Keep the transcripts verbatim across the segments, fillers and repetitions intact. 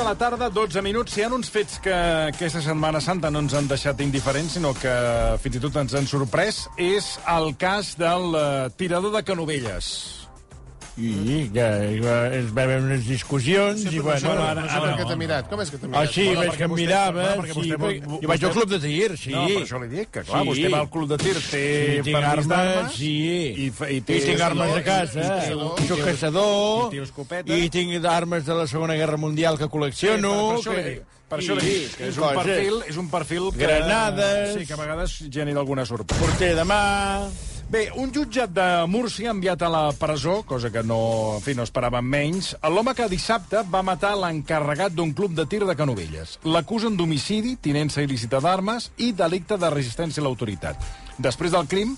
la tarda, dotze minuts. Hi ha uns fets que aquesta Setmana Santa no ens han deixat indiferents, sinó que fins i tot ens han sorprès. És el cas del uh, tirador de Canovelles. I que es va haver unes discussions i bueno... Ara, ara, ara, que t'ha mirat? Com és que t'ha mirat? Ah, sí, Bueno, veig que em mirava. perquè Sí, vostè- perquè- vostè- jo vaig al club de tir, sí. No, per això li dic, que clar, Sí. vostè va al club de tir, té Sí, tinc permís armes, d'armes, sí. i, fa- i I té... tinc armes a casa. i té- I soc caçador. I té escopeta. I tinc armes de la Segona Guerra Mundial que col·lecciono. per, per això que- li dic, per sí, això li dic, que és un coses. perfil, és un perfil que... Granades. Sí, que a vegades genera alguna sorpresa. Porter de mà... Bé, un jutjat de Múrcia ha enviat a la presó, cosa que no, en fi, no esperàvem menys, l'home que dissabte va matar l'encarregat d'un club de tir de Canovelles. L'acusen d'homicidi, tinença il·lícita d'armes i delicte de resistència a l'autoritat. Després del crim,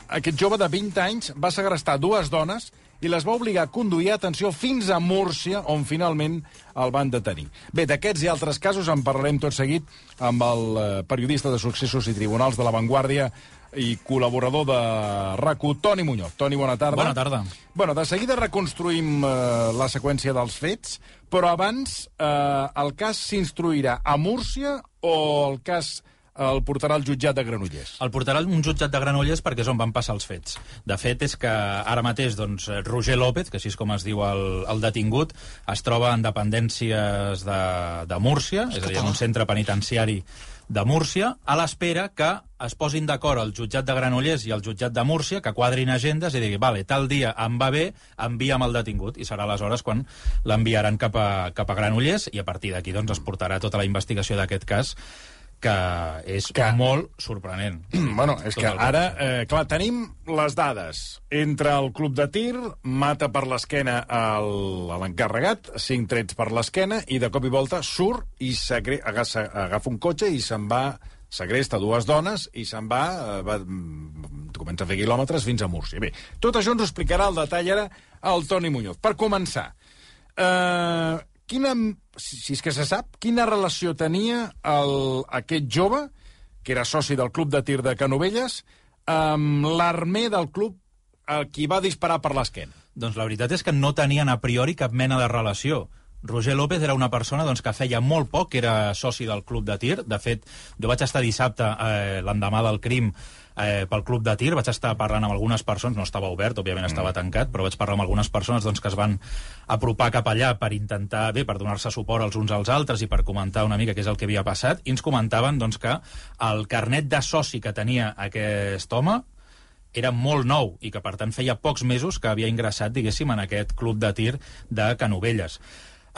aquest jove de vint anys va segrestar dues dones i les va obligar a conduir, atenció, fins a Múrcia, on finalment el van detenir. Bé, d'aquests i altres casos en parlarem tot seguit amb el eh, periodista de Successos i Tribunals de La Vanguardia i col·laborador de RAC u, Toni Muñoz. Toni, bona tarda. Bona tarda. Bueno, de seguida reconstruïm eh, la seqüència dels fets, però abans eh, el cas s'instruirà a Múrcia o el cas el portarà al jutjat de Granollers? El portarà un jutjat de Granollers perquè és on van passar els fets. De fet, és que ara mateix doncs, Roger López, que així és com es diu el, el detingut, es troba en dependències de, de Múrcia, és a dir, en un centre penitenciari de Múrcia, a l'espera que es posin d'acord el jutjat de Granollers i el jutjat de Múrcia, que quadrin agendes i diguin, vale, tal dia em va bé, envia'm el detingut. I serà aleshores quan l'enviaran cap a, cap a Granollers i a partir d'aquí doncs, es portarà tota la investigació d'aquest cas, que és Que- molt sorprenent. Bueno, és Tot que el ara, eh, clar, tenim les dades. Entre el club de tir, mata per l'esquena el- a l'encarregat, cinc trets per l'esquena, i de cop i volta surt i sagre- agafa, agafa un cotxe i se'n va, segresta dues dones i se'n va, eh, va, mm, comença a fer quilòmetres fins a Múrcia. Bé, tot això ens ho explicarà al detall ara el Toni Muñoz. Per començar, eh, quina, si si és que se sap, quina relació tenia el, aquest jove, que era soci del club de tir de Canovelles, amb l'armer del club a qui va disparar per l'esquena? Doncs la veritat és que no tenien a priori cap mena de relació. Roger López era una persona doncs, que feia molt poc que era soci del club de tir. De fet, jo vaig estar dissabte, eh, l'endemà del crim, eh, pel club de tir, vaig estar parlant amb algunes persones, no estava obert, òbviament estava tancat, però vaig parlar amb algunes persones doncs, que es van apropar cap allà per intentar, bé, per donar-se suport els uns als altres i per comentar una mica què és el que havia passat, i ens comentaven doncs, que el carnet de soci que tenia aquest home era molt nou i que, per tant, feia pocs mesos que havia ingressat, diguéssim, en aquest club de tir de Canovelles.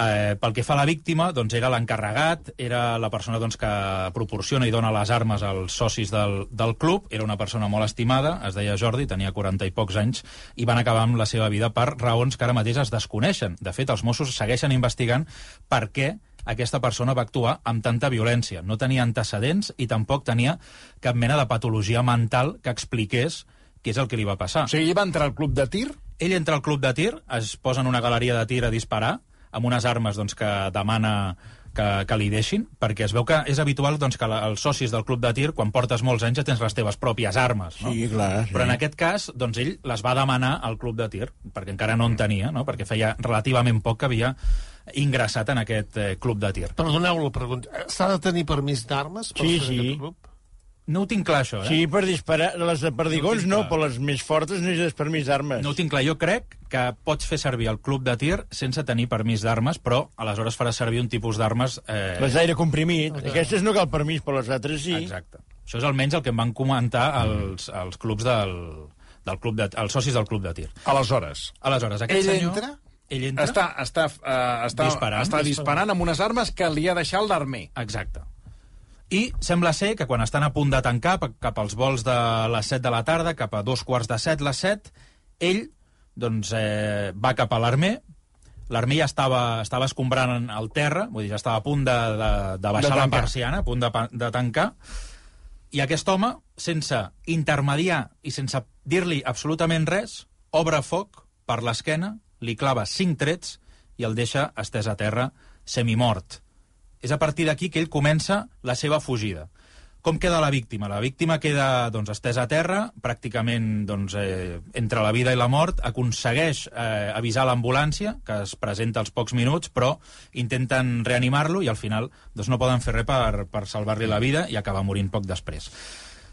Eh, pel que fa a la víctima, doncs era l'encarregat, era la persona doncs, que proporciona i dona les armes als socis del, del club, era una persona molt estimada, es deia Jordi, tenia quaranta i pocs anys, i van acabar amb la seva vida per raons que ara mateix es desconeixen. De fet, els Mossos segueixen investigant per què aquesta persona va actuar amb tanta violència. No tenia antecedents i tampoc tenia cap mena de patologia mental que expliqués què és el que li va passar. O sigui, ell va entrar al club de tir? Ell entra al club de tir, es posa en una galeria de tir a disparar, amb unes armes doncs, que demana que, que li deixin, perquè es veu que és habitual doncs, que la, els socis del club de tir, quan portes molts anys, ja tens les teves pròpies armes. No? Sí, clar. Sí. Però en aquest cas, doncs, ell les va demanar al club de tir, perquè encara no en tenia, no? Perquè feia relativament poc que havia ingressat en aquest eh, club de tir. Perdoneu la pregunta. S'ha de tenir permís d'armes per Sí, fer sí. aquest club? No ho tinc clar, això, eh? Sí, per disparar. Les de perdigons No ho no, tinc clar. però les més fortes necessites permís d'armes. No ho tinc clar. Jo crec que pots fer servir el club de tir sense tenir permís d'armes, però aleshores faràs servir un tipus d'armes... Eh... Les d'aire comprimit. Okay. Aquestes no cal permís, però les altres sí. Exacte. Això és almenys el que em van comentar els, els clubs del, del club de, els socis del club de tir. Aleshores, Aleshores, aquest ell senyor... entra, Ell entra... està, està, uh, està, Disparant. està disparant amb unes armes que li ha deixat l'armer. Exacte. I sembla ser que quan estan a punt de tancar, cap als vols de les set de la tarda, cap a dos quarts de set, les set, ell doncs, eh, va cap a l'armer, l'armer ja estava, estava escombrant el terra, vull dir, ja estava a punt de, de, de baixar De la tancar. persiana, a punt de, pa- de tancar, i aquest home, sense intermediar i sense dir-li absolutament res, obre foc per l'esquena, li clava cinc trets i el deixa estès a terra, semimort. És a partir d'aquí que ell comença la seva fugida. Com queda la víctima? La víctima queda doncs, estesa a terra, pràcticament doncs, eh, entre la vida i la mort, aconsegueix eh, avisar l'ambulància, que es presenta als pocs minuts, però intenten reanimar-lo i al final doncs, no poden fer res per, per salvar-li la vida i acaba morint poc després.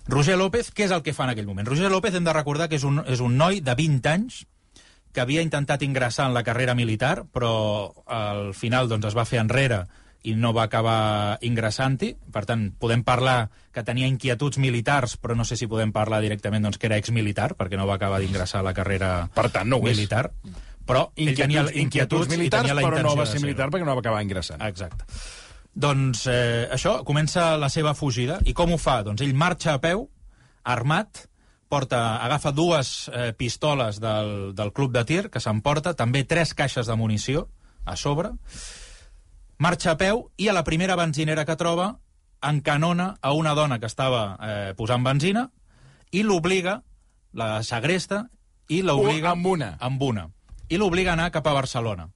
Roger López, què és el que fa en aquell moment? Roger López hem de recordar que és un, és un noi de vint anys que havia intentat ingressar en la carrera militar, però al final doncs, es va fer enrere i no va acabar ingressant-hi. Per tant, podem parlar que tenia inquietuds militars, però no sé si podem parlar directament doncs, que era exmilitar, perquè no va acabar d'ingressar a la carrera per tant, no militar. Però ell inquietuds, tenia inquietuds inquietuds militars, i tenia la però intenció no va de ser militar perquè no va acabar ingressant. Exacte. Doncs eh, això, comença la seva fugida. I com ho fa? Doncs ell marxa a peu, armat, porta, agafa dues eh, pistoles del, del club de tir, que s'emporta, també tres caixes de munició a sobre, marxa a peu i a la primera benzinera que troba encanona a una dona que estava eh, posant benzina i l'obliga, la segresta, i l'obliga... Amb una. Amb una. I l'obliga a anar cap a Barcelona,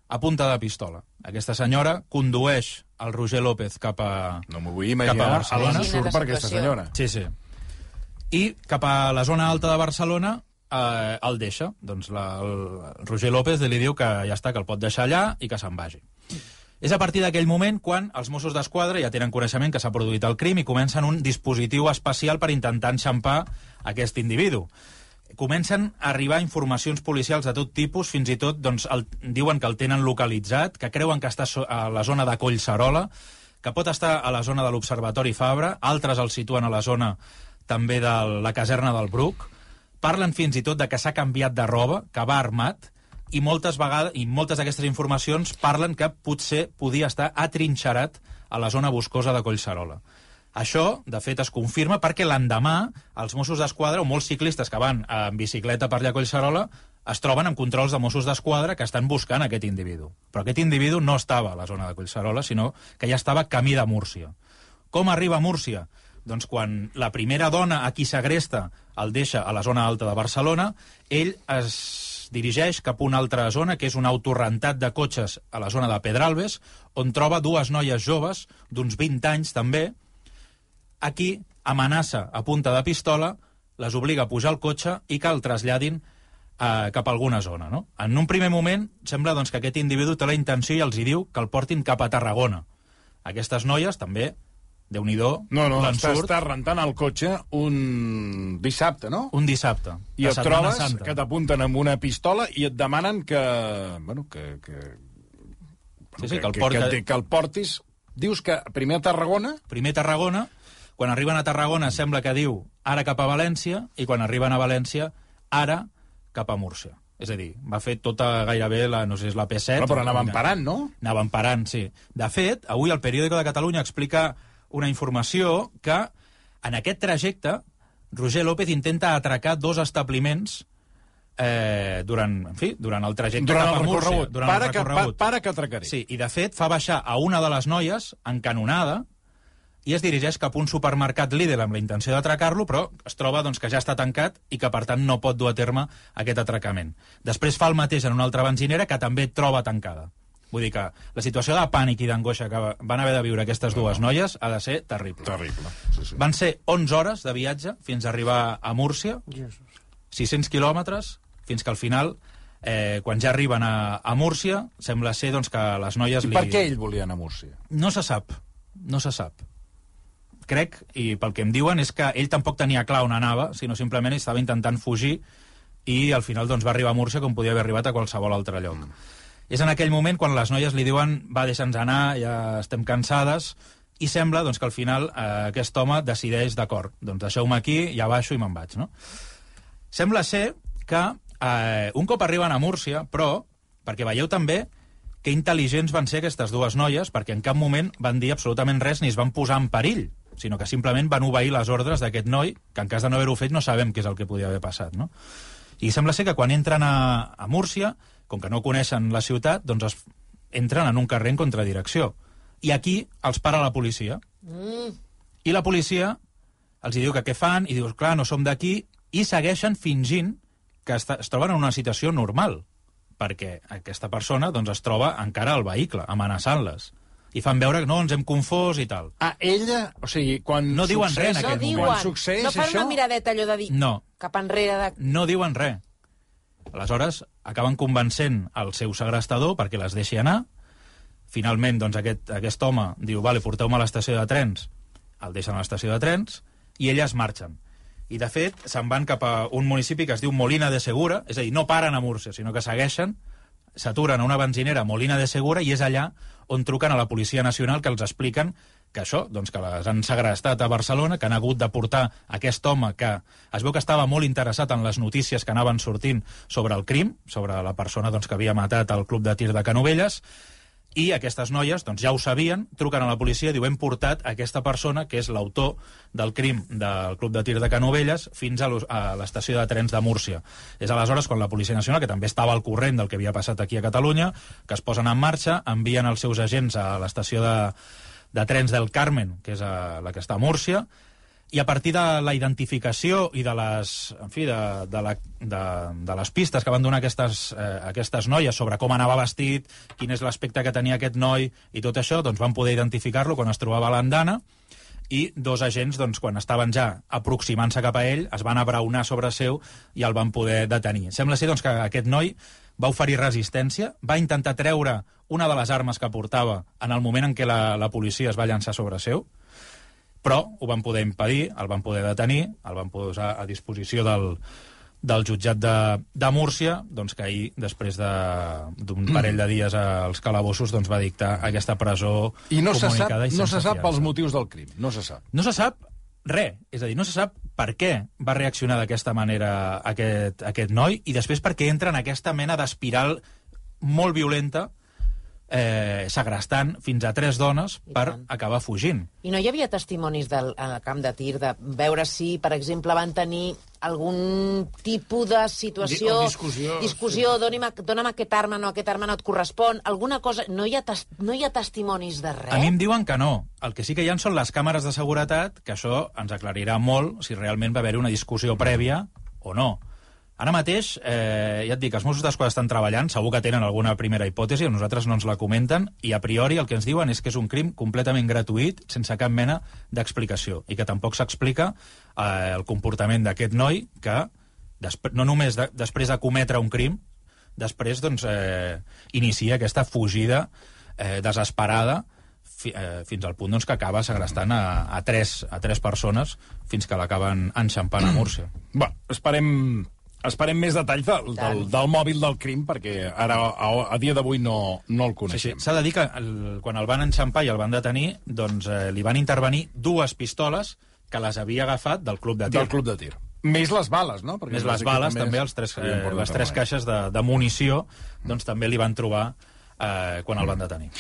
a punta de pistola. Aquesta senyora condueix el Roger López cap a No m'ho vull imaginar a l'ensurt per aquesta senyora. Sí, sí. I cap a la zona alta de Barcelona eh, el deixa. Doncs la, el Roger López li diu que ja està, que el pot deixar allà i que se'n vagi. És a partir d'aquell moment quan els Mossos d'Esquadra ja tenen coneixement que s'ha produït el crim i comencen un dispositiu especial per intentar enxampar aquest individu. Comencen a arribar informacions policials de tot tipus, fins i tot doncs, el, diuen que el tenen localitzat, que creuen que està a la zona de Collserola, que pot estar a la zona de l'Observatori Fabra, altres el situen a la zona també de la caserna del Bruc, parlen fins i tot de que s'ha canviat de roba, que va armat, i moltes vegades i moltes d'aquestes informacions parlen que potser podia estar atrinxerat a la zona boscosa de Collserola. Això, de fet, es confirma perquè l'endemà els Mossos d'Esquadra, o molts ciclistes que van en bicicleta per allà a Collserola, es troben amb controls de Mossos d'Esquadra que estan buscant aquest individu. Però aquest individu no estava a la zona de Collserola, sinó que ja estava camí de Múrcia. Com arriba a Múrcia? Doncs quan la primera dona a qui segresta el deixa a la zona alta de Barcelona, ell es dirigeix cap a una altra zona, que és un autorrentat de cotxes a la zona de Pedralbes, on troba dues noies joves, d'uns vint anys també. Aquí amenaça a punta de pistola, les obliga a pujar al cotxe i que el traslladin eh, cap a alguna zona. No? En un primer moment sembla doncs, que aquest individu té la intenció i els hi diu que el portin cap a Tarragona. Aquestes noies també, Déu-n'hi-do, no, no, l'ensurt. Estàs rentant el cotxe un dissabte, no? Un dissabte. I et trobes Santa. Que t'apunten amb una pistola i et demanen que... Bueno, que... que sí, sí, que, que, el porta... que, que el portis. Dius que primer a Tarragona... Primer a Tarragona. Quan arriben a Tarragona sembla que diu ara cap a València, i quan arriben a València, ara cap a Múrcia. És a dir, va fer tota gairebé, la, no sé, és la P set... Però, però anaven parant, no? Anaven parant, sí. De fet, avui el Periódico de Catalunya explica una informació que en aquest trajecte Roger López intenta atracar dos establiments eh, durant, en fi, durant el trajecte durant cap a el Múrcia. Durant para el recorregut. Que, pa, para que atracaré. Sí, i de fet fa baixar a una de les noies encanonada i es dirigeix cap a un supermercat líder amb la intenció d'atracar-lo, però es troba doncs, que ja està tancat i que, per tant, no pot dur a terme aquest atracament. Després fa el mateix en una altra benzinera que també troba tancada. Vull dir que la situació de pànic i d'angoixa que van haver de viure aquestes dues noies ha de ser terrible. Terrible. Sí, sí. Van ser onze hores de viatge fins a arribar a Múrcia, Jesus. sis cents quilòmetres, fins que al final, eh, quan ja arriben a, a Múrcia, sembla ser doncs, que les noies... I li... per què ell volia anar a Múrcia? No se sap, no se sap. Crec, i pel que em diuen, és que ell tampoc tenia clar on anava, sinó simplement estava intentant fugir i al final doncs, va arribar a Múrcia com podia haver arribat a qualsevol altre lloc. Mm. És en aquell moment quan les noies li diuen va, deixa'ns anar, ja estem cansades, i sembla doncs, que al final eh, aquest home decideix, d'acord, doncs deixeu-me aquí, ja baixo i me'n vaig. No? Sembla ser que eh, un cop arriben a Múrcia, però, perquè veieu també que intel·ligents van ser aquestes dues noies, perquè en cap moment van dir absolutament res ni es van posar en perill, sinó que simplement van obeir les ordres d'aquest noi, que en cas de no haver-ho fet no sabem què és el que podia haver passat. No? I sembla ser que quan entren a, a Múrcia, com que no coneixen la ciutat, doncs es entren en un carrer en contradirecció. I aquí els para la policia. Mm. I la policia els diu que què fan, i dius, clar, no som d'aquí, i segueixen fingint que es, es troben en una situació normal, perquè aquesta persona doncs, es troba encara al vehicle, amenaçant-les. i fan veure que no, ens hem confós i tal. Ah, ella... O sigui, quan No diuen res en succeeix- aquest No moment. diuen, Quan succeeix no fan això... una miradeta allò de dir No. cap enrere de... No diuen res. Aleshores, acaben convencent el seu segrestador perquè les deixi anar. Finalment, doncs, aquest, aquest home diu, vale, porteu-me a l'estació de trens. El deixen a l'estació de trens i elles marxen. I, de fet, se'n van cap a un municipi que es diu Molina de Segura, és a dir, no paren a Múrcia, sinó que segueixen, s'aturen a una benzinera, Molina de Segura, i és allà on truquen a la Policia Nacional, que els expliquen que això, doncs que les han segrestat a Barcelona, que han hagut de portar aquest home que es veu que estava molt interessat en les notícies que anaven sortint sobre el crim, sobre la persona doncs, que havia matat al club de tir de Canovelles, i aquestes noies doncs, ja ho sabien, truquen a la policia i diu, hem portat aquesta persona, que és l'autor del crim del club de tir de Canovelles, fins a l'estació de trens de Múrcia. És aleshores quan la Policia Nacional, que també estava al corrent del que havia passat aquí a Catalunya, que es posen en marxa, envien els seus agents a l'estació de, de trens del Carmen, que és a, la que està a Múrcia, i a partir de la identificació i de les, en fi, de, de, la, de, de les pistes que van donar aquestes, eh, aquestes noies sobre com anava vestit, quin és l'aspecte que tenia aquest noi i tot això, doncs van poder identificar-lo quan es trobava a l'andana, i dos agents, doncs, quan estaven ja aproximant-se cap a ell, es van abraonar sobre seu i el van poder detenir. Sembla ser doncs, que aquest noi va oferir resistència, va intentar treure una de les armes que portava en el moment en què la, la policia es va llançar sobre seu, però ho van poder impedir, el van poder detenir, el van posar a disposició del, del jutjat de, de Múrcia, doncs que ahir, després d'un de, parell de dies als calabossos, doncs va dictar aquesta presó I no se sap, comunicada i no sense se sap fiança. pels motius del crim, no se sap. No se sap res, és a dir, no se sap per què va reaccionar d'aquesta manera aquest, aquest noi, i després perquè entra en aquesta mena d'espiral molt violenta, eh, segrestant fins a tres dones I per tant. acabar fugint. I no hi havia testimonis del, al camp de tir de veure si, per exemple, van tenir algun tipus de situació... Di- o discussió, Discussió, doni'm, dona'm aquest arma, no, aquest arma no et correspon, alguna cosa... No hi ha, tes, no hi ha testimonis de res? A mi em diuen que no. El que sí que hi ha són les càmeres de seguretat, que això ens aclarirà molt si realment va haver-hi una discussió prèvia o no. Ara mateix, eh, ja et dic, els Mossos d'Esquadra estan treballant, segur que tenen alguna primera hipòtesi, a nosaltres no ens la comenten, i a priori el que ens diuen és que és un crim completament gratuït, sense cap mena d'explicació, i que tampoc s'explica eh, el comportament d'aquest noi que, no només de, després de cometre un crim, després doncs, eh, inicia aquesta fugida eh, desesperada fi, eh, fins al punt doncs, que acaba segrestant a, a, tres, a tres persones fins que l'acaben enxampant a Múrcia. Bé, esperem... Esperem més detalls del, del, del mòbil del crim, perquè ara, a, a dia d'avui, no, no el Sí, coneixem. sí. S'ha de dir que el, quan el van enxampar i el van detenir, doncs eh, li van intervenir dues pistoles que les havia agafat del club de tir. Del club de tir. Més les bales, no? Perquè Més les bales, també, els tres, eh, les tres caixes de, de munició, doncs també li van trobar eh, quan el van detenir.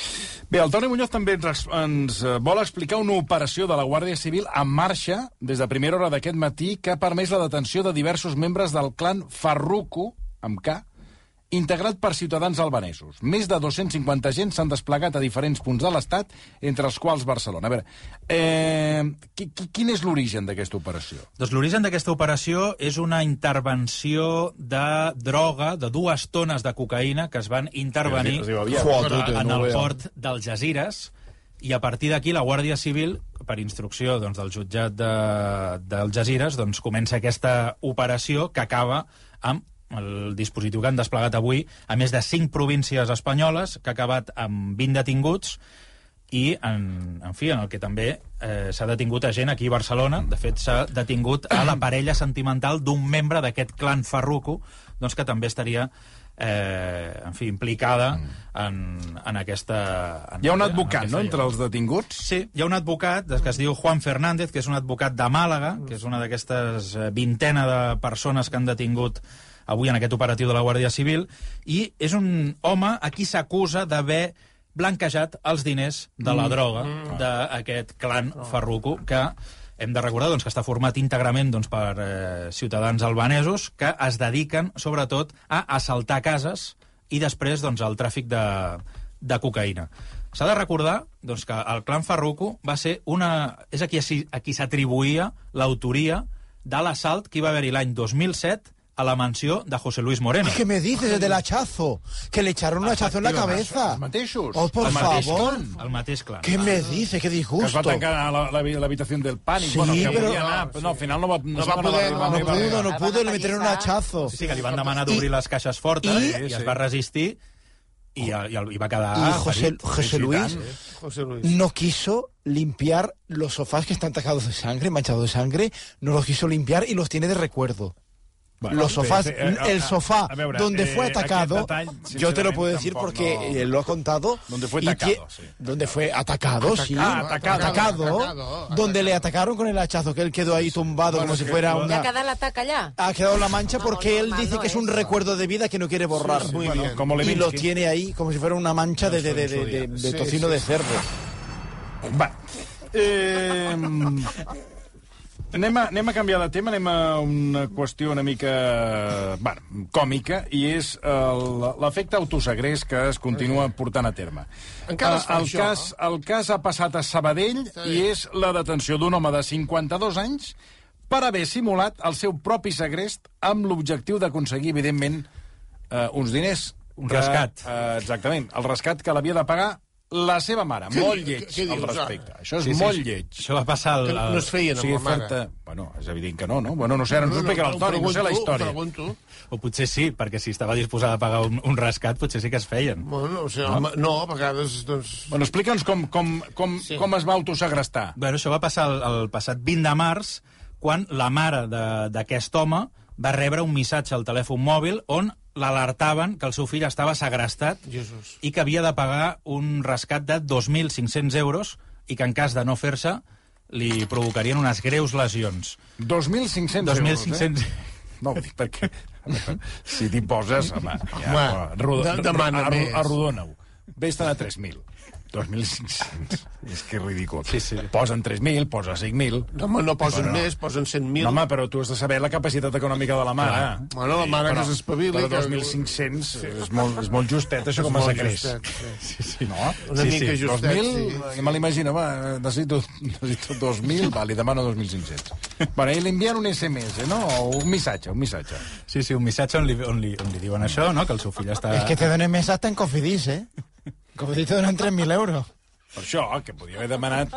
Bé, el Toni Muñoz també ens, ens vol explicar una operació de la Guàrdia Civil en marxa des de primera hora d'aquest matí que ha permès la detenció de diversos membres del clan Farruko, amb K, integrat per ciutadans albanesos. Més de dos-cents cinquanta agents s'han desplegat a diferents punts de l'Estat, entre els quals Barcelona. A veure, eh, qui, qui, quin és l'origen d'aquesta operació? Doncs l'origen d'aquesta operació és una intervenció de droga, de dues tones de cocaïna que es van intervenir Es diu aviat. Foto, en el port d'Algesires, i a partir d'aquí la Guàrdia Civil, per instrucció doncs, del jutjat d'Algesires, doncs, comença aquesta operació que acaba amb el dispositiu que han desplegat avui a més de cinc províncies espanyoles, que ha acabat amb vint detinguts, i, en, en fi, en el que també eh, s'ha detingut a gent aquí a Barcelona. De fet, s'ha detingut a la parella sentimental d'un membre d'aquest clan Farruko, doncs que també estaria eh, en fi, implicada en, en aquesta... En, Hi ha un advocat, en no?, aquesta entre els detinguts? Sí, hi ha un advocat que es diu Juan Fernández, que és un advocat de Màlaga, que és una d'aquestes vintena de persones que han detingut avui en aquest operatiu de la Guàrdia Civil, i és un home a qui s'acusa d'haver blanquejat els diners de la droga d'aquest clan Farruko, que hem de recordar doncs, que està format íntegrament doncs, per eh, ciutadans albanesos que es dediquen, sobretot, a assaltar cases i després doncs, al tràfic de, de cocaïna. S'ha de recordar doncs, que el clan Farruko va ser una... és a qui, a qui s'atribuïa l'autoria de l'assalt que hi va haver-hi l'any dos mil set a la mansió de José Luis Moreno. ¿Qué me dices del hachazo? Que le echaron un hachazo en la cabeza. Els mateixos. Oh, por el mateix favor. clan, el mateix clan. ¿Qué me dice? Qué Que es va disgusto. tancar a la- la- l'habitació del pànic. Sí, bueno, que però- volia anar, però no, al final no va, no, No sé va quan poder, arribar, no arribar. pudo, no pudo, le metieron un hachazo. Sí, sí, que li van demanar d'obrir les caixes fortes I- i, i es va resistir i, i, i va quedar Y José, ferit. José sí, Luis tant. José Luis. no quiso limpiar los sofás que están tacados de sangre, manchados de sangre, no los quiso limpiar y los tiene de recuerdo. Bueno, Los sofás, sí, sí, eh, el a- sofá a veure, donde eh, fue atacado, aquest detall, yo te lo puedo decir sincerament, porque tampoc no- él lo ha contado. Donde fue y atacado, que- sí. Donde fue atacado, sí. Ah, atacado. Atacado, Atacado, donde le atacaron con el hachazo, que él quedó ahí tumbado como si fuera Ja ha una... quedat l'atac allà? Ha quedado la mancha No, porque él normal dice no que es un es. recuerdo de vida que no quiere borrar. Muy Bueno, bien. como Y lo Levinsky. tiene ahí como si fuera una mancha de, de, de, de, de- de Sí, tocino sí, de sí. cerdo. Va. Eh, anem, a, anem a canviar de tema, anem a una qüestió una mica bueno, còmica, i és el- l'efecte autosegrest que es continua portant a terme. Encara es fa el, això, cas, el cas ha passat a Sabadell i és la detenció d'un home de cinquanta-dos anys per haver simulat el seu propi segrest amb l'objectiu d'aconseguir, evidentment, eh, uns diners. Un que, rescat. Eh, exactament, el rescat que l'havia de pagar la seva mare. Molt di- lleig, què al dius, respecte. ara? Això és Sí, sí, molt sí. lleig. Això va passar al... Que no es feien O amb sigui, la mare. fer-te... Bueno, és evident que no, no? Bueno, no sé, ara ens ho explicarà el Toni, no sé la història. Pregunto. O potser sí, perquè si estava disposada a pagar un, un rescat, potser sí que es feien. Bueno, o sigui, no? no, a vegades, doncs... Bueno, explica'ns com, com, com, Sí. com es va autosegrestar. Bueno, això va passar el, el passat vint de març, quan la mare de- d'aquest home va rebre un missatge al telèfon mòbil on l'alertaven que el seu fill estava segrestat Jesús. i que havia de pagar un rescat de dos mil cinc-cents euros i que en cas de no fer-se li provocarien unes greus lesions. dos mil cinc-cents dos mil euros, cinc-cents... eh? No, ho dic perquè... Si t'hi poses, home, ja, Home, arrodo, de- demana arro- més. arrodona-ho. Vés-te'n a tres mil. dos mil cinc-cents. És que és ridícul. Sí, sí. Posen tres mil, posa cinc mil... No, home, no posen Bueno. més, posen cent mil. No, home, però tu has de saber la capacitat econòmica de la mare. Clar. Bueno, la mare que s'espavili, Però que- dos mil cinc-cents és, molt, és molt justet, això, com a molt segrest. justet, sí. Sí, no? Una Sí, mica sí, justet, dos mil, sí. sí. me l'imagino, va, necessito, necessito dos mil, va, li demano dos mil cinc-cents. Bueno, i li envien un esse eme esse, no? O un missatge, un missatge. Sí, sí, un missatge on li, on li, on li diuen això, no? Que el seu fill està... Es que te donen mesa hasta en Cofidis, ¿eh? Cofidis te donan tres mil euros. Per això, que podia haver demanat...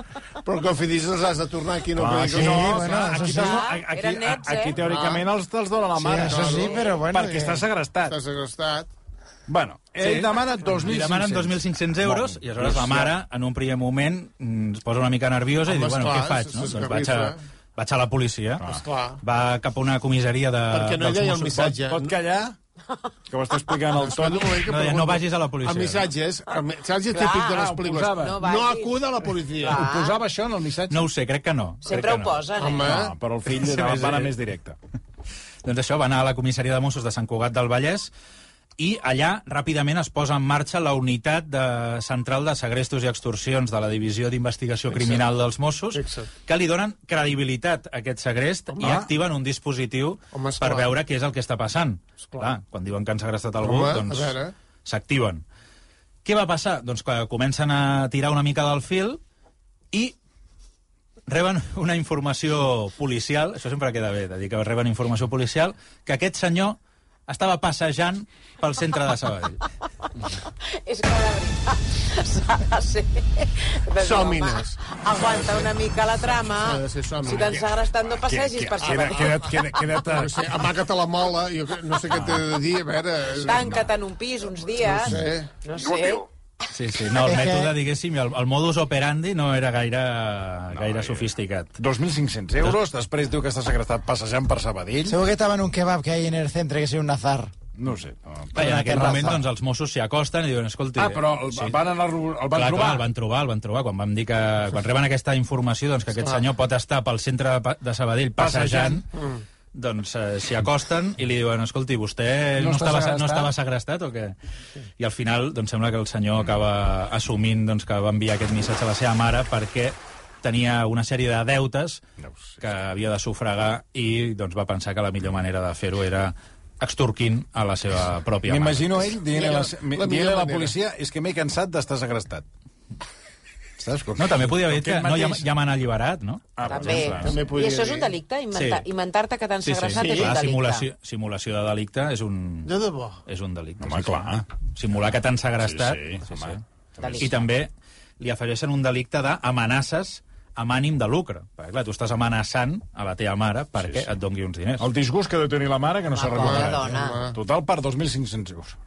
Però el Cofidis els has de tornar aquí, no? Ah, Perquè sí, no, bueno, clar, això aquí, sí. aquí, aquí, Eren nets, eh? aquí teòricament els te'ls dona la Sí, mare. eso sí, pero bueno, Perquè que- està segrestat. Està segrestat. Bueno, ell demana dos mil Li cinc-cents. demanen dos mil cinc-cents euros i aleshores la mare, en un primer moment, mm, es posa una mica nerviosa i Home, diu, bueno, esclar, què faig? No? s'esgarrifa. Doncs vaig a, vaig a la policia. Esclar. Va cap a una comissaria de, Perquè no hi dels deia el Mossos. missatge. Pot callar? Que ho està explicant el Espera Toni. un moment que No, deia, pregunto. no vagis a la policia. El missatge és... El missatge Clar, típic de les ho pel·lícules. posava. No No, vagis. acuda a la policia. Clar. Ho posava això en el missatge? No ho sé, crec que no. Sempre crec ho que no. posen, eh? Home. No, però el fill Sí, va sí. anar més directe. Doncs això, va anar a la comissaria de Mossos de Sant Cugat del Vallès i allà ràpidament es posa en marxa la unitat de central de segrestos i extorsions de la Divisió d'Investigació Criminal dels Mossos, Fixa't. que li donen credibilitat a aquest segrest Home. i activen un dispositiu Home, esclar. per veure què és el que està passant. Clar, quan diuen que han segrestat algú, Home, a doncs veure. s'activen. Què va passar? Doncs que comencen a tirar una mica del fil i reben una informació policial, això sempre queda bé, de dir que reben informació policial, que aquest senyor estava passejant pel centre de Sabadell. És que de veritat s'ha de ser... Doncs, Sòmines. home, Aguanta una mica la trama. S'ha de ser sòmines. Si t'han segrestat, no passegis per Queda, Sabadell. queda't, queda't, queda't, No sé, amaga't a la mola, jo que- no sé què t'he de dir, a veure... Tanca't en un pis uns dies. No sé. No sé. Sí, sí, no, el És que- mètode, diguéssim, el, el modus operandi no era gaire, gaire sofisticat. dos mil cinc-cents euros, després diu que està segrestat passejant per Sabadell. Seguro que estaba en un kebab que hay en el centro, que es un azar. No ho sé. No. I en aquell terrassa. moment doncs, els Mossos s'hi acosten i diuen, escolti... Ah, però el, van anar, el van clar, trobar. Clar, el van trobar, el van trobar. Quan vam dir que... Quan reben aquesta informació doncs, que aquest senyor pot estar pel centre de, Pa- de Sabadell passejant, Passejant. doncs eh, s'hi acosten i li diuen, escolti, vostè No no, està estava, segrestat? no estava segrestat o què? I al final doncs, sembla que el senyor acaba assumint doncs, que va enviar aquest missatge a la seva mare perquè tenia una sèrie de deutes que havia de sufragar i doncs, va pensar que la millor manera de fer-ho era extorquint a la seva pròpia mare. M'imagino ell dient a la, La millor dient a la manera. policia és que m'he cansat d'estar segrestat. Saps? Com, No, també podia haver dit que com no, ja, mateix- ja m'han alliberat, no? Ah, per També. exemple. També I podria això és un dir. delicte? Inventar, Sí. Inventar-te que t'han Sí, sí, segrestat sí. és un Clar, delicte. simulació, simulació de delicte és un, De debò. és un delicte. Home, clar. Simular que t'han segrestat. Sí, sí, home. Delicte. I també li afegeixen un delicte d'amenaces amb ànim de lucre. Perquè, clar, tu estàs amenaçant a la teva mare perquè Sí, sí. et doni uns diners. El disgust que deu tenir la mare que no s'ha pobra recuperat. dona. Total per dos mil cinc-cents euros.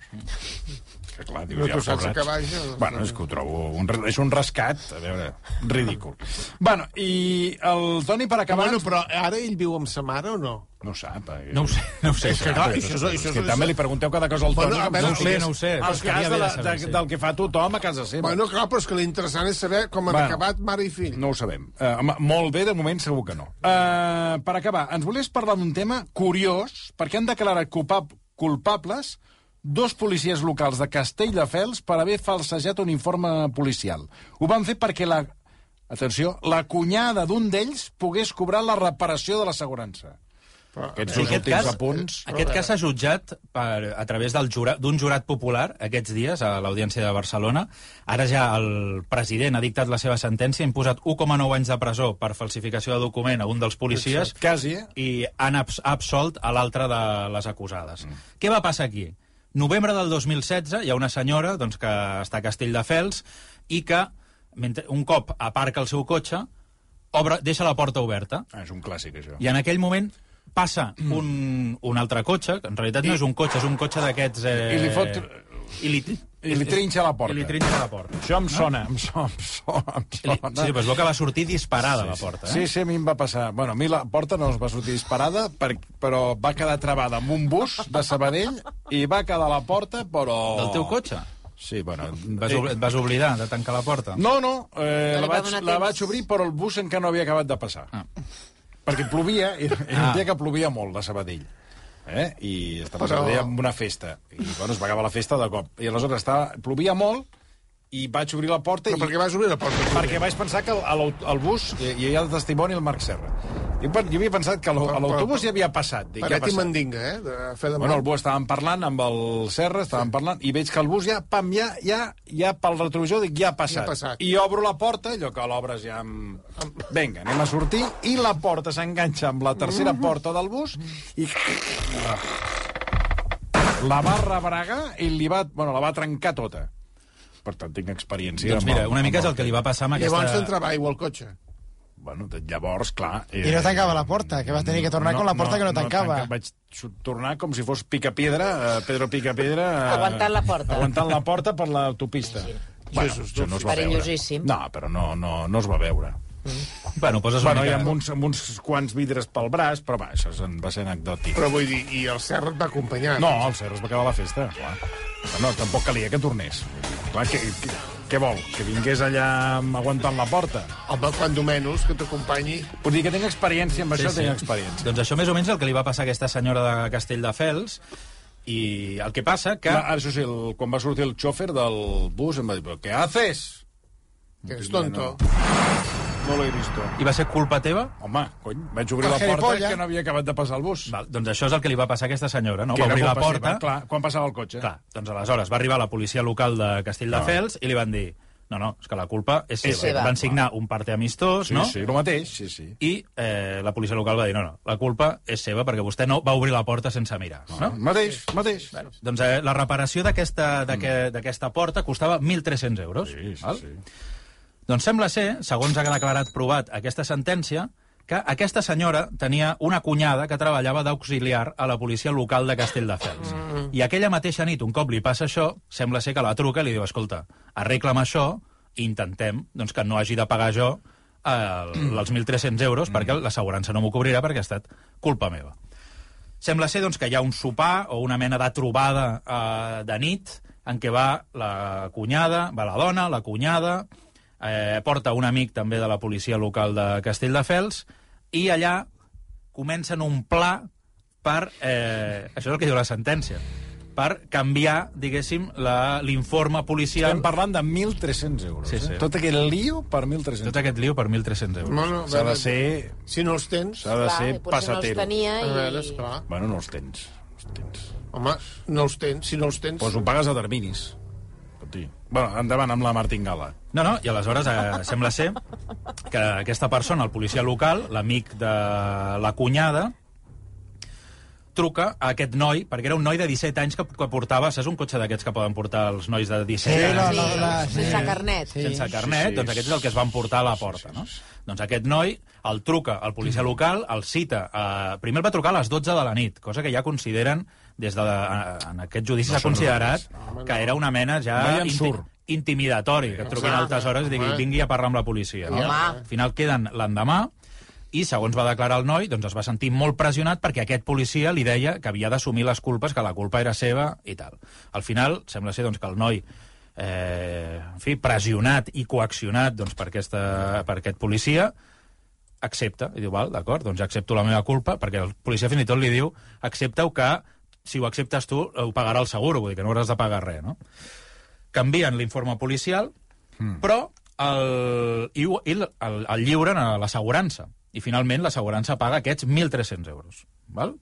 Que clar, dius, No ja tu saps pobrats. a què vaja. Bueno, és que ho trobo... Un, re- és un rescat, a veure, ridícul. Bueno, i el Toni, per acabar... Bueno, però ara ell viu amb sa mare o no? No ho sap. Eh? No ho sé, no ho sé. És que, clar, això és- això És que és- també li pregunteu cada cosa al Bueno, Toni. a com veure, si no ho sé, estigués no ho sé, però Als estaria cas bé de la, de saber, de, sí. del que fa tothom a casa seva. Bueno, clar, però és que l'interessant és saber com han Bueno. acabat mare i fill. No ho sabem. Uh, molt bé, de moment segur que no. Uh, per acabar, ens volies parlar d'un tema curiós, perquè han declarat culpab culpables dos policies locals de Castelldefels per haver falsejat un informe policial. Ho van fer perquè la... Atenció, la cunyada d'un d'ells pogués cobrar la reparació de l'assegurança. Aquests En dos aquest últims cas, apunts... aquest cas s'ha jutjat per, a través del jura, d'un jurat popular aquests dies a l'Audiència de Barcelona. Ara ja el president ha dictat la seva sentència, ha imposat un coma nou anys de presó per falsificació de document a un dels policies Quasi, eh? i han abs absolt a l'altre de les acusades. Mm. Què va passar aquí? Novembre del dos mil setze hi ha una senyora doncs, que està a Castelldefels i que, mentre, un cop aparca el seu cotxe, obre, deixa la porta oberta. Ah, és un clàssic, això. I en aquell moment passa un, un altre cotxe, que en realitat no és un cotxe, és un cotxe d'aquests... Eh, I li fot- I li, I li trinxa la porta. I li trinxa la porta. Això em sona, em sona, em sona. Em I li, sona. sí, però es veu que va sortir disparada la porta. Eh? Sí, sí, a mi em va passar. Bueno, a mi la porta no es va sortir disparada, per, però va quedar travada amb un bus de Sabadell i va quedar la porta, però... Del teu cotxe? Sí, bueno... Vas, obli- et vas oblidar de tancar la porta? No, no, eh, No li la, va vaig, donar la temps. vaig obrir, però el bus encara no havia acabat de passar. Ah. Perquè plovia, i era Ah. un dia que plovia molt, a Sabadell. Eh? I estava Però- a Sabadell amb una festa. I, bueno, es va acabar la festa de cop. I aleshores estava, plovia molt, i vaig obrir la porta... Però i... per què vas obrir la porta? Perquè vaig pensar que al, al bus hi, hi havia el testimoni el Marc Serra. Jo, jo havia pensat que a l'au- a l'autobús ja havia passat. Dic, què ha Paret i passat? mandinga, eh? De fer de Bueno, el bus estàvem parlant amb el Serra, estàvem parlant, i veig que el bus ja, pam, ja, ja, ja pel retrovisor, dic, ja ha passat. Ja ha passat. I obro la porta, allò que l'obres ja amb... Vinga, anem a sortir, i la porta s'enganxa amb la tercera porta del bus, i... La va rebregar i li va... Bueno, la va trencar tota. Per tant, tinc experiència... Doncs amb mira, el- una mica amb és el que li va passar amb Llavors aquesta... t'entrava aigua al cotxe. Bueno, de- llavors, clar... Eh, I no tancava la porta, que vas tenir que tornar con la porta que no tancava. tanca- vaig su- tornar com si fos Picapiedra, eh, Pedro Picapiedra... Eh, Aguantant la porta. Aguantant la porta per l'autopista. Bueno, Jesus, això no es va veure. Perillosíssim. No, però no, no, no es va veure. Bueno, poses Bueno, una hi ha mica... amb uns, amb uns quants vidres pel braç, però va, això se'n va ser anecdòtic. Però vull dir, i el Serra et va acompanyar. No, el Serra es va acabar la festa, clar. Però no, tampoc calia que tornés. Clar, que, que, què vol? Que vingués allà aguantant la porta? Home, quan menys, que t'acompanyi. Vull dir que tinc experiència, amb això tinc experiència. Doncs això més o menys el que li va passar a aquesta senyora de Castelldefels, i el que passa que... Que... Ara, això sí, el, quan va sortir el xòfer del bus em va dir, però què haces? Que és tonto. No l'he vist. I va ser culpa teva? Home, cony, vaig obrir El la porta gilipollas. que no havia acabat de passar el bus. Val, doncs això és el que li va passar a aquesta senyora, no? Que Va era obrir la culpa porta... seva, clar, quan passava el cotxe. Clar, doncs aleshores va arribar la policia local de Castelldefels i li van dir no, no, és que la culpa és seva. És seva. Van signar un parte amistós, Sí, no? sí, el mateix, sí, sí. I eh, la policia local va dir no, no, la culpa és seva perquè vostè no va obrir la porta sense mirar, no? Mateix, mateix. Doncs eh, la reparació d'aquesta d'aquest- d'aquesta porta costava mil tres-cents euros. Sí, sí, val? sí. Doncs sembla ser, segons ha declarat provat aquesta sentència, que aquesta senyora tenia una cunyada que treballava d'auxiliar a la policia local de Castelldefels. Mm. I aquella mateixa nit, un cop li passa això, sembla ser que la truca i li diu, escolta, arregla'm això i intentem doncs, que no hagi de pagar jo eh, els mil tres-cents euros perquè l'assegurança no m'ho cobrirà perquè ha estat culpa meva. Sembla ser doncs, que hi ha un sopar o una mena de trobada eh, de nit en què va la cunyada, va la dona, la cunyada, eh, porta un amic també de la policia local de Castelldefels i allà comencen un pla per... Eh, això és el que diu la sentència, per canviar, diguéssim, la- l'informe policial... Estem parlant de mil tres-cents euros. Sí, sí. Eh? Tot aquest lío per mil tres-cents. Tot aquest lío per mil tres-cents euros. Bueno, a S'ha de veure, ser... Si no els tens... S'ha de Clar, ser i potser no els passatero. tenia A veure, i... esclar. Bueno, no els tens. Els tens. Home, no els tens. Si no els tens... Pues ho pagues a terminis. Escolti. Bueno, endavant amb la martingala. No, no, i aleshores eh, sembla ser que aquesta persona, el policia local, l'amic de la cunyada, truca a aquest noi, perquè era un noi de disset anys que, que portava, saps un cotxe d'aquests que poden portar els nois de disset Sí, anys? no, Sí, no, no, sí. sense carnet. Sí. Sense carnet, Sí, sí. doncs aquest és el que es van portar a la porta, no? Doncs aquest noi el truca al policia local, el cita... Eh, primer el va trucar a les dotze de la nit, cosa que ja consideren, des de, en aquest judici s'ha considerat que era una mena ja No hi en surt. intimidatori, que et truquin a altes hores i diguin vingui a parlar amb la policia. No? Home. Al final queden l'endemà, i, segons va declarar el noi, doncs es va sentir molt pressionat perquè aquest policia li deia que havia d'assumir les culpes, que la culpa era seva i tal. Al final, sembla ser doncs, que el noi, eh, en fi, pressionat i coaccionat doncs, per, aquesta, per aquest policia, accepta, i diu, val, d'acord, doncs accepto la meva culpa, perquè el policia fins i tot li diu, accepta-ho que, si ho acceptes tu, ho pagarà el seguro, vull dir que no hauràs de pagar res, no? Canvien l'informe policial, mm. però el, i, i el, el, el lliuren a l'assegurança. I finalment l'assegurança paga aquests mil tres-cents euros. Val?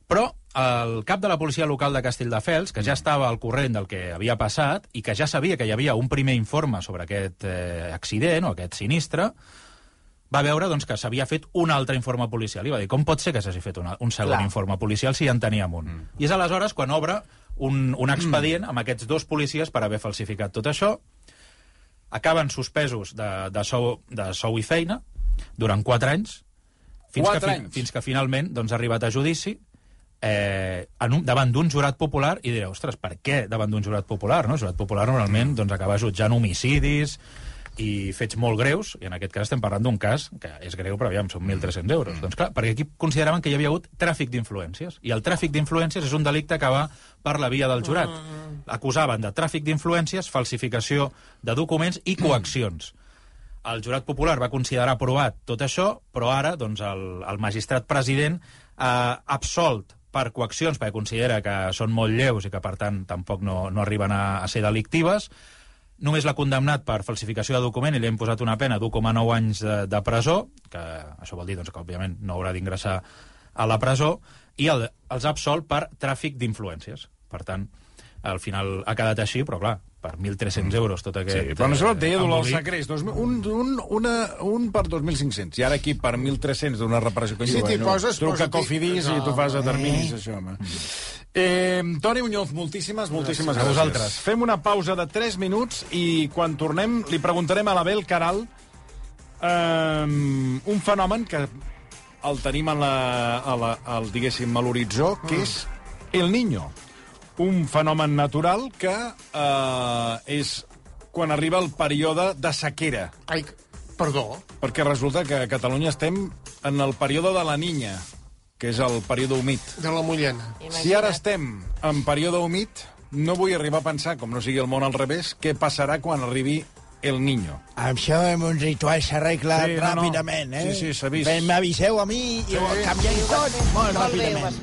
Però el cap de la policia local de Castelldefels, que ja estava al corrent del que havia passat i que ja sabia que hi havia un primer informe sobre aquest eh, accident o aquest sinistre, va veure doncs, que s'havia fet un altre informe policial. I va dir, com pot ser que s'hagi fet una, un segon Clar. informe policial si ja en teníem un? Mm. I és aleshores quan obre un, un expedient amb aquests dos policies per haver falsificat tot això. Acaben suspesos de, de, sou, de sou i feina durant quatre anys, fins, Quatre que, anys. fins que finalment doncs, ha arribat a judici eh, en un, davant d'un jurat popular, i direu, ostres, per què davant d'un jurat popular? No? El jurat popular normalment doncs, acaba jutjant homicidis i fets molt greus, i en aquest cas estem parlant d'un cas que és greu, però aviam, són mil tres-cents euros. Doncs clar, perquè aquí consideraven que hi havia hagut tràfic d'influències, i el tràfic d'influències és un delicte que va per la via del jurat. Acusaven de tràfic d'influències, falsificació de documents i coaccions. El jurat popular va considerar aprovat tot això, però ara doncs, el, el magistrat president ha absolt per coaccions, perquè considera que són molt lleus i que, per tant, tampoc no, no arriben a, a ser delictives. Només l'ha condemnat per falsificació de document i li hem posat una pena d'u coma nou anys de, de presó, que això vol dir doncs, que, òbviament, no haurà d'ingressar a la presó, i el, els ha absolt per tràfic d'influències. Per tant, al final ha quedat així, però clar, per mil tres-cents euros tot aquest... Sí, però no sé, deia Dolors embolic. Sacrés, dos, un, un, una, un per dos mil cinc-cents, i ara aquí per mil tres-cents d'una reparació que Si t'hi poses, truca posa-t'hi- Cofidis i tu fas a terminis, això, home. Eh, Toni Muñoz, moltíssimes, moltíssimes A gràcies. vosaltres. Fem una pausa de tres minuts i quan tornem li preguntarem a l'Abel Caral eh, un fenomen que el tenim a la, a la, al, diguéssim, a l'horitzó, que és El Niño. Un fenomen natural que eh, és quan arriba el període de sequera. Ai, perdó. Perquè resulta que a Catalunya estem en el període de la Niña, que és el període humit. De la Mullena. Si ara estem en període humit, no vull arribar a pensar, com no sigui el món al revés, què passarà quan arribi El Niño. Això amb un ritual s'arregla Sí, no, no. ràpidament, eh? Sí, sí, s'ha vist. M'aviseu a mi i Sí. ho canviem tot molt Molt bé, ho ràpidament. has